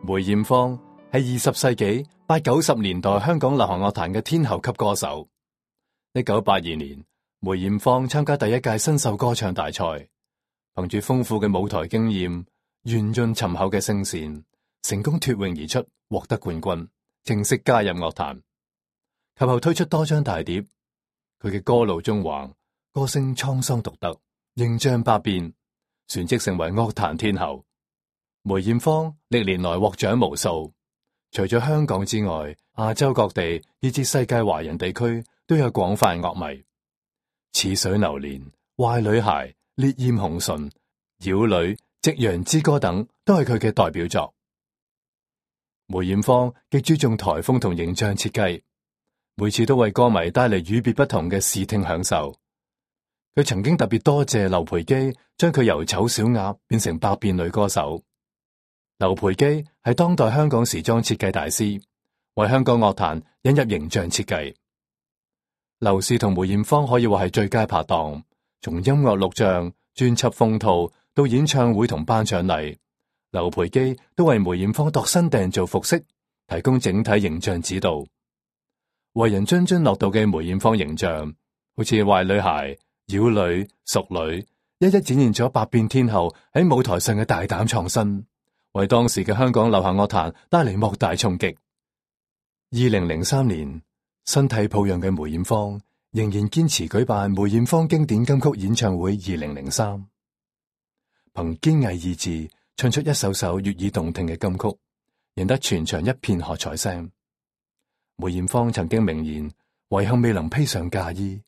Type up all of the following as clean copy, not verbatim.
梅艷芳係20世紀80、90年代香港流行樂壇嘅天后級歌手。1982年，梅艷芳參加第一屆新秀歌唱大賽，憑住豐富嘅舞台經驗、圓潤沉厚嘅聲線，成功脫穎而出，獲得冠軍，正式加入樂壇。及後推出多張大碟，佢嘅歌路縱橫，歌聲滄桑獨特，形象百變，旋即成為樂壇天后。梅艷芳歷年來獲獎無數，除咗香港之外，亞洲各地以至世界華人地區都有廣泛樂迷。似水流年、壞女孩、烈焰紅唇、妖女、夕陽之歌等都係佢嘅代表作。梅艷芳極注重台風同形象設計，每次都為歌迷帶嚟與別不同嘅視聽享受。佢曾經特別多謝劉培基，將佢由醜小鴨變成百變女歌手。劉培基係當代香港時裝設計大師，為香港樂壇引入形象設計。劉氏同梅艷芳可以話係最佳拍檔，從音樂錄像、專輯封套到演唱會同頒獎禮，劉培基都為梅艷芳度身訂造服飾，提供整體形象指導。為人津津樂道嘅梅艷芳形象，好似壞女孩、妖女、淑女，一一展現咗百變天后喺舞台上嘅大膽創新，為當時嘅香港流行樂壇帶嚟莫大衝擊。2003年，身體抱恙嘅梅艷芳仍然堅持舉辦梅艷芳經典金曲演唱會2003，憑堅毅意志唱出一首首悅耳動聽嘅金曲，贏得全場一片喝彩聲。梅艷芳曾經明言，遺憾未能披上嫁衣，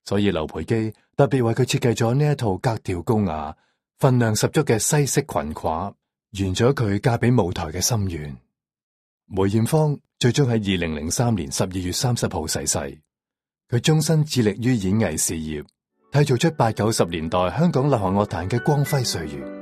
所以劉培基特別為佢設計咗呢一套格調高雅、分量十足嘅西式裙褂，圓咗佢嫁俾舞台嘅心願。梅艷芳最終喺2003年12月30號逝世，佢終身致力於演藝事業，締造出80、90年代香港流行樂壇嘅光輝歲月。